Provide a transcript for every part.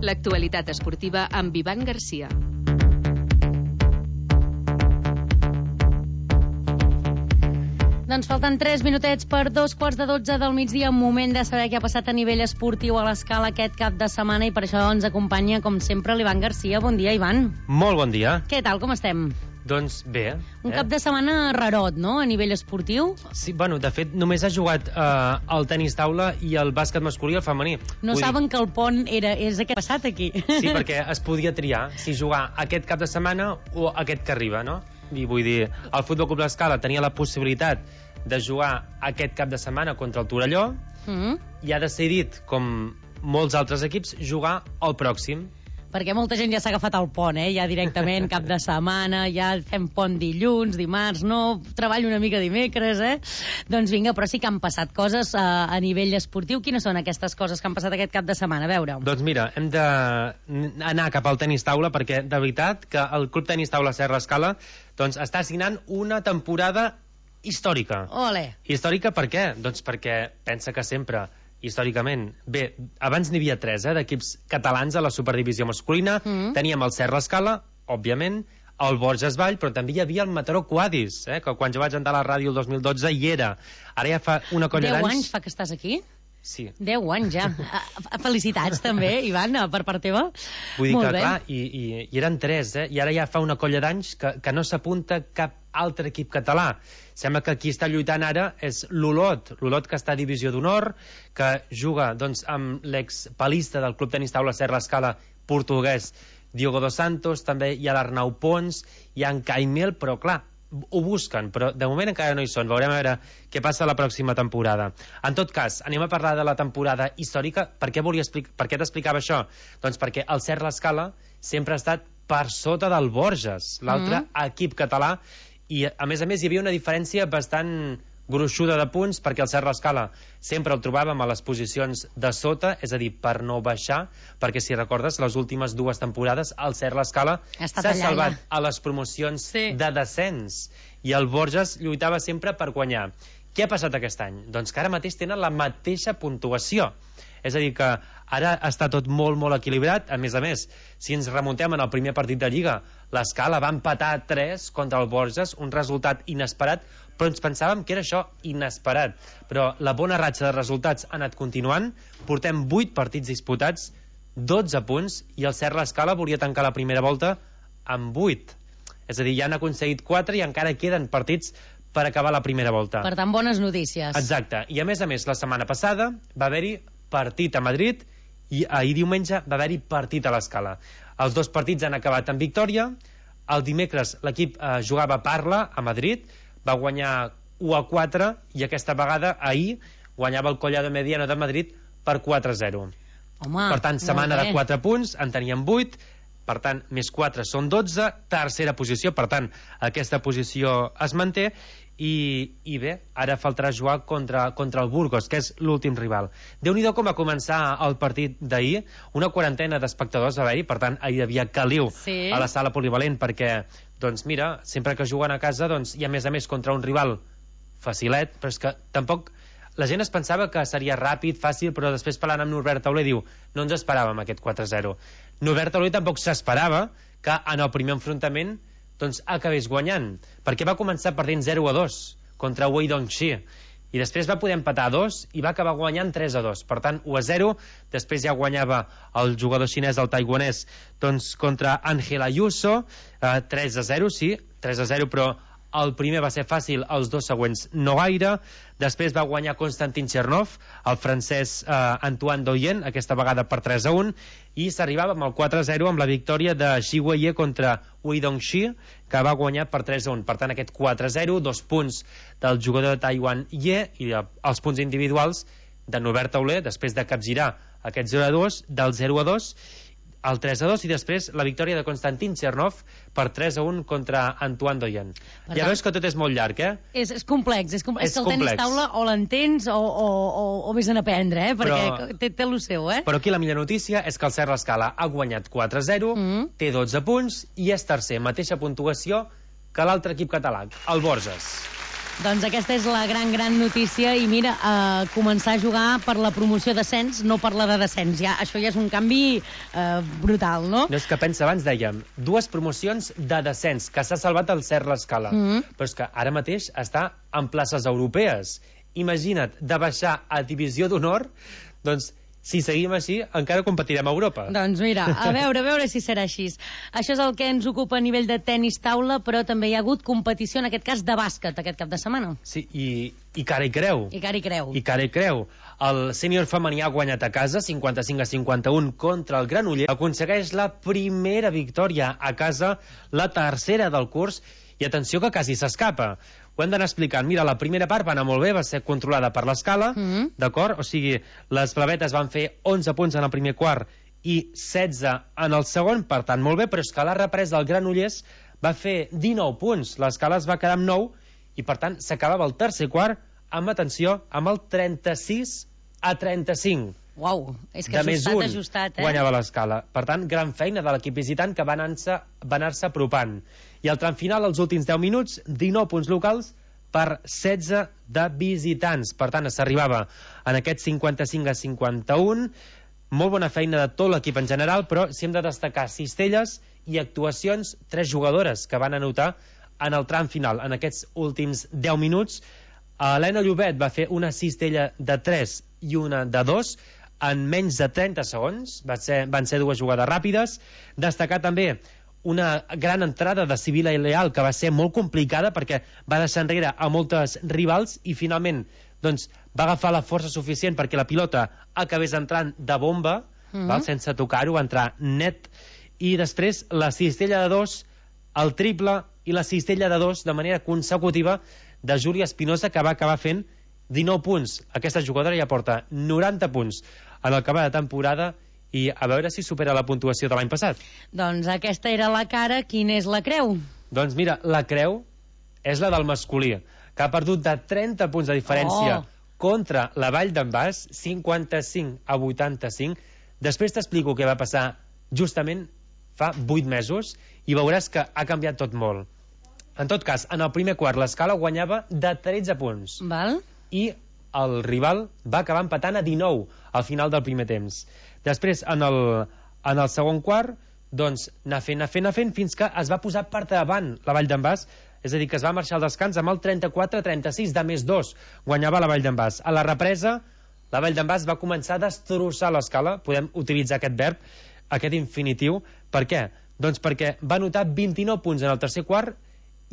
L'actualitat esportiva amb Ivan Garcia. Doncs falten 3 minutets per 2:15 del migdia, moment de saber què ha passat a nivell esportiu a l'Escala aquest cap de setmana, i per això ens acompanya, com sempre, l'Ivan Garcia. Bon dia, Ivan. Molt bon dia. Què tal, com estem? Doncs bé. Un cap de setmana rarot, no?, a nivell esportiu. Sí, bueno, de fet, només ha jugat el tenis taula i el bàsquet masculí i el femení. No saben que el pont és aquest passat aquí. Sí, perquè es podia triar si jugar aquest cap de setmana o aquest que arriba, no? I vull dir, el Futbol Club l'Escala tenia la possibilitat de jugar aquest cap de setmana contra el Torelló i ha decidit, com molts altres equips, jugar el pròxim. Perquè molta gent ja s'ha agafat el pont, ja directament, cap de setmana, ja fem pont dilluns, dimarts, no, treballo una mica dimecres, Doncs vinga, però sí que han passat coses a nivell esportiu. Quines són aquestes coses que han passat aquest cap de setmana? A veure. Doncs mira, hem d'anar cap al tenis taula, perquè de veritat que el Club Tenis Taula Serra Escala doncs està signant una temporada històrica. Ole! Històrica per què? Doncs perquè pensa que sempre, històricament, bé, abans n'hi havia 3 d'equips catalans a la superdivisió masculina. Teníem el Serra Escala, òbviament, el Borges Vall, però també hi havia el Mataró Quadis, que quan jo vaig entrar a la ràdio el 2012 hi era. Ara ja fa una colla d'anys... 10 anys fa que estàs aquí? Sí. 10 anys ja. Felicitats també, Ivan, per part teva. Vull dir que, clar, i eren 3, i ara ja fa una colla d'anys que no s'apunta cap altre equip català. Sembla que qui està lluitant ara és l'Olot, que està a Divisió d'Honor, que juga doncs, amb l'expalista del Club Tenis Taula Serra Escala portuguès, Diogo dos Santos. També hi ha l'Arnau Pons, hi ha en Caimel, però clar, ho busquen, però de moment encara no hi són. Veurem a veure què passa la pròxima temporada. En tot cas, anem a parlar de la temporada històrica. Per què t'explicava això? Doncs perquè el Serra Escala sempre ha estat per sota del Borges, l'altre equip català, i a més hi havia una diferència bastant gruixuda de punts, perquè el Serra Escala sempre el trobàvem a les posicions de sota, és a dir, per no baixar, perquè si recordes, les últimes 2 temporades el Serra Escala s'ha salvat a les promocions de descens, i el Borges lluitava sempre per guanyar. Què ha passat aquest any? Doncs que ara mateix tenen la mateixa puntuació. És a dir, que ara està tot molt, molt equilibrat. A més, si ens remuntem en el primer partit de Lliga, l'Escala va empatar 3 contra el Borges, un resultat inesperat, però ens pensàvem que era això, inesperat. Però la bona ratxa de resultats ha anat continuant, portem 8 partits disputats, 12 punts, i el Serra Escala volia tancar la primera volta amb 8. És a dir, ja han aconseguit 4 i encara queden partits per acabar la primera volta. Per tant, bones notícies. Exacte. I a més, la setmana passada va haver-hi partit a Madrid i ahir diumenge va haver-hi partit a l'Escala. Els 2 partits han acabat en victòria. El dimecres l'equip jugava a Parla a Madrid, va guanyar 1-4, i aquesta vegada ahir guanyava el Collado Mediano de Madrid per 4-0. Home, per tant, setmana de 4 punts, en teníem 8, per tant, més 4 són 12, tercera posició, per tant, aquesta posició es manté, i bé, ara faltarà jugar contra el Burgos, que és l'últim rival. Déu-n'hi-do com va començar el partit d'ahir, una quarantena d'espectadors va haver-hi, per tant, ahir hi havia caliu a la sala polivalent, perquè, doncs mira, sempre que juguen a casa, doncs, i a més contra un rival facilet, però és que tampoc... La gent es pensava que seria ràpid, fàcil, però després parlant amb Norbert Tauler diu no ens esperàvem aquest 4-0. Norbert Tauler tampoc s'esperava que en el primer enfrontament doncs acabés guanyant, perquè va començar perdent 0-2 contra Wei Dongxi, i després va poder empatar a 2 i va acabar guanyant 3-2, per tant 1-0. Després ja guanyava el jugador xinès, el taiwanès, doncs contra Ángel Ayuso, 3-0, sí, 3-0, però el primer va ser fàcil, els 2 següents no gaire. Després va guanyar Konstantin Chernov, el francès Antoine Doyen, aquesta vegada per 3-1, i s'arribava amb el 4-0 amb la victòria de Xi Weiye contra Wei Dongxi, que va guanyar per 3-1. Per tant, aquest 4-0, 2 punts del jugador de Taiwan Ye, i els punts individuals de Norbert Tauler, després de capgirar aquest 0-2, del 0-2, el 3-2, i després la victòria de Konstantin Chernov per 3-1 contra Antoine Doyen. Ja veus que tot és molt llarg, És complex, és que el tenis taula o l'entens o vés a aprendre, perquè té el seu, Però aquí la millor notícia és que el Serra Escala ha guanyat 4-0, té 12 punts i és tercer, mateixa puntuació que l'altre equip català, el Borges. Doncs aquesta és la gran notícia i mira, començar a jugar per la promoció d'ascens, no per la de descens. Això ja és un canvi brutal, no? No és que pensa, abans dèiem, 2 promocions de descens, que s'ha salvat el Cert l'Escala. Però és que ara mateix està en places europees. Imagina't, de baixar a Divisió d'Honor, doncs si seguim així, encara competirem a Europa. Doncs mira, a veure si serà així. Això és el que ens ocupa a nivell de tenis taula, però també hi ha hagut competició, en aquest cas, de bàsquet, aquest cap de setmana. Sí, i cara i creu. I cara i creu. I cara i creu. El sènior femení ha guanyat a casa, 55-51 contra el Granollers. Aconsegueix la primera victòria a casa, la tercera del curs, i atenció que quasi s'escapa. Ho hem d'anar explicant. Mira, la primera part va anar molt bé, va ser controlada per l'Escala, d'acord? O sigui, les blavetes van fer 11 punts en el primer quart i 16 en el segon, per tant, molt bé, però és que la represa del Granollers va fer 19 punts. L'Escala es va quedar amb 9 i, per tant, s'acabava el tercer quart amb, atenció, amb el 36-35. Uau, és que ajustat, guanyava l'Escala. Per tant, gran feina de l'equip visitant que va anar-se apropant. I al tram final, els últims 10 minuts, 19 punts locals per 16 de visitants. Per tant, s'arribava en aquest 55-51. Molt bona feina de tot l'equip en general, però si hem de destacar cistelles i actuacions, 3 jugadores que van anotar en el tram final. En aquests últims 10 minuts, Helena Llobet va fer una cistella de 3 i una de 2 en menys de 30 segons. Van ser 2 jugades ràpides. Destacar també una gran entrada de Sibila Leal, que va ser molt complicada perquè va deixar enrere a moltes rivals i finalment doncs, va agafar la força suficient perquè la pilota acabés entrant de bomba, sense tocar-ho, va entrar net, i després la cistella de 2, el triple i la cistella de 2 de manera consecutiva de Júlia Espinosa, que va acabar fent 19 punts. Aquesta jugadora ja porta 90 punts en el que va de temporada i a veure si supera la puntuació de l'any passat. Doncs aquesta era la cara. Quina és la creu? Doncs mira, la creu és la del masculí, que ha perdut de 30 punts de diferència contra la Vall d'en Bas, 55-85. Després t'explico què va passar justament fa 8 mesos i veuràs que ha canviat tot molt. En tot cas, en el primer quart l'Escala guanyava de 13 punts. Val. I el rival va acabar empatant a 19 al final del primer temps. Després, en el segon quart, doncs, anar fent, fins que es va posar per davant la Vall d'en Bas, és a dir, que es va marxar al descans amb el 34-36 de més 2. Guanyava la Vall d'en Bas. A la represa, la Vall d'en Bas va començar a destrossar l'Escala. Podem utilitzar aquest verb, aquest infinitiu. Per què? Doncs perquè va anotar 29 punts en el tercer quart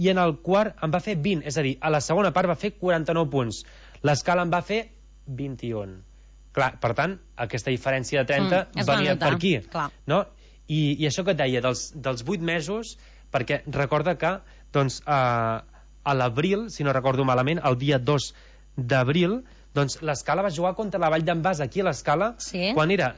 i en el quart en va fer 20. És a dir, a la segona part va fer 49 punts. L'Escala en va fer 21. Clar, per tant, aquesta diferència de 30 venia per aquí. No? I això que et deia, dels 8 mesos, perquè recorda que doncs, a l'abril, si no recordo malament, el dia 2 d'abril, doncs l'Escala va jugar contra la Vall d'en Bas aquí a l'Escala, quan era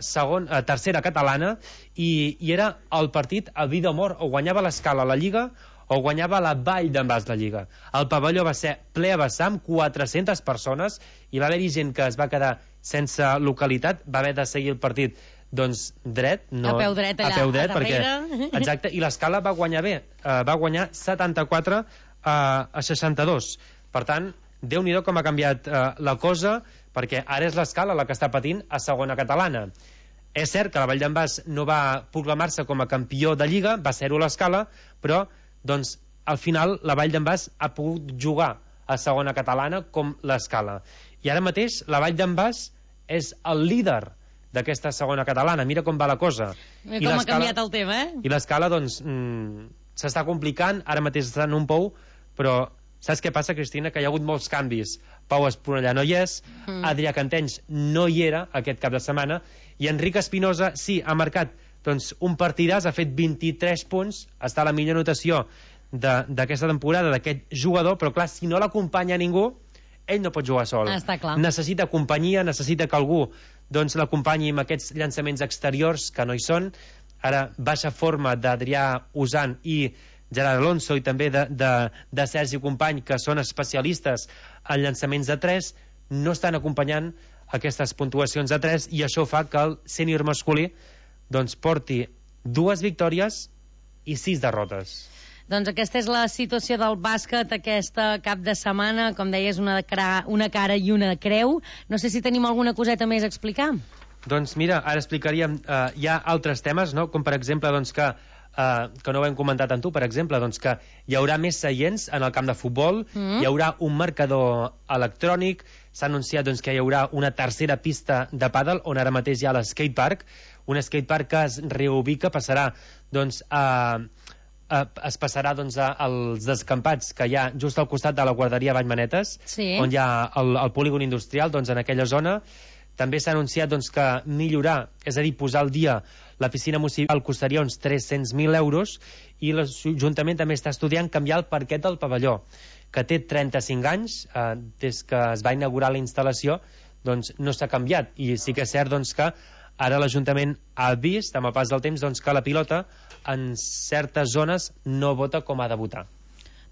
tercera catalana, i era el partit a vida o mort. O guanyava l'Escala la Lliga o guanyava la Vall d'en Bas la Lliga. El pavelló va ser ple a vessar amb 400 persones i va haver-hi gent que es va quedar sense localitat, va haver de seguir el partit doncs dret, no, a peu dret allà, a peu dret, perquè, exacte, i l'Escala va guanyar bé, va guanyar 74 a 62. Per tant, Déu-n'hi-do com ha canviat la cosa, perquè ara és l'Escala la que està patint a segona catalana. És cert que la Vall d'en Bas no va proclamar-se com a campió de Lliga, va ser-ho l'Escala, però doncs, al final la Vall d'en Bas ha pogut jugar a segona catalana com l'Escala. I ara mateix la Vall d'en Bas és el líder d'aquesta segona catalana. Mira com va la cosa. Com ha canviat el tema, I l'Escala, doncs, s'està complicant, ara mateix està en un pou, però saps què passa, Cristina? Que hi ha hagut molts canvis. Pau Esponellà no hi és, Adrià Cantenys no hi era aquest cap de setmana, i Enric Espinosa sí, ha marcat doncs, un partidàs, ha fet 23 punts, està a la millor notació d'aquesta temporada d'aquest jugador, però clar, si no l'acompanya ningú, ell no pot jugar sol. Està clar. Necessita companyia, necessita que algú doncs, l'acompanyi amb aquests llançaments exteriors que no hi són. Ara, baixa forma d'Adrià Usant i Gerard Alonso i també de Sergi Company, que són especialistes en llançaments de 3, no estan acompanyant aquestes puntuacions de 3, i això fa que el sènior masculí doncs, porti 2 victòries i 6 derrotes. Doncs aquesta és la situació del bàsquet aquesta cap de setmana. Com deies, una cara i una creu. No sé si tenim alguna coseta més a explicar. Doncs mira, ara explicaríem, hi ha altres temes, no? Com per exemple, doncs, que no ho hem comentat amb tu, per exemple, doncs, que hi haurà més seients en el camp de futbol, hi haurà un marcador electrònic, s'ha anunciat doncs, que hi haurà una tercera pista de pàdel, on ara mateix hi ha l'skatepark, un skatepark que es reubica, passarà doncs, es passarà doncs, als descampats que hi ha just al costat de la guarderia Vallmanetes, on hi ha el polígon industrial, doncs, en aquella zona. També s'ha anunciat doncs, que millorar, és a dir, posar al dia la piscina municipal costaria uns 300.000 euros i l'Ajuntament també està estudiant canviar el parquet del pavelló, que té 35 anys, des que es va inaugurar la instal·lació, doncs no s'ha canviat. I sí que és cert doncs, que ara l'Ajuntament ha vist, amb el pas del temps, doncs, que la pilota en certes zones no vota com ha de votar.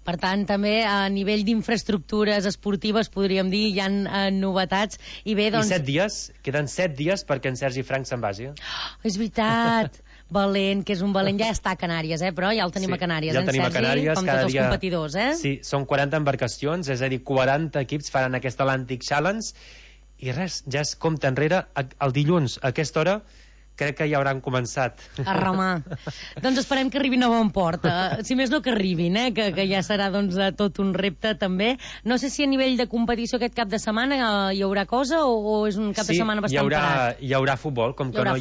Per tant, també a nivell d'infraestructures esportives, podríem dir, hi ha novetats. I bé, doncs... I 7 dies, queden 7 dies perquè en Sergi Frank se'n vagi. És veritat, valent, que és un valent. Ja està a Canàries, però ja el tenim a Canàries, ja el tenim Sergi? A Canàries, com tots els competidors, Sí, són 40 embarcacions, és a dir, 40 equips faran aquest Atlantic Challenge, i res, ja es compta enrere. El dilluns, a aquesta hora, crec que ja hauran començat a remar. Doncs esperem que arribin a bon port. Si més no, que arribin, que ja serà doncs, tot un repte també. No sé si a nivell de competició aquest cap de setmana hi haurà cosa o és un cap de setmana bastant parat? Hi haurà futbol, com que no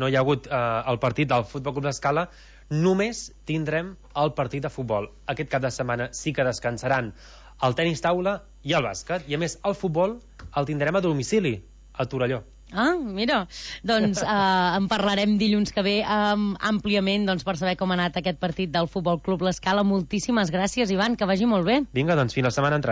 hi ha hagut el partit del Futbol Club d'Escala, només tindrem el partit de futbol. Aquest cap de setmana sí que descansaran el tenis taula i el bàsquet, i a més el futbol el tindrem a domicili, a Torelló. Ah, mira, doncs en parlarem dilluns que ve àmpliament doncs, per saber com ha anat aquest partit del Futbol Club L'Escala. Moltíssimes gràcies, Ivan, que vagi molt bé. Vinga, doncs fins la setmana entrant.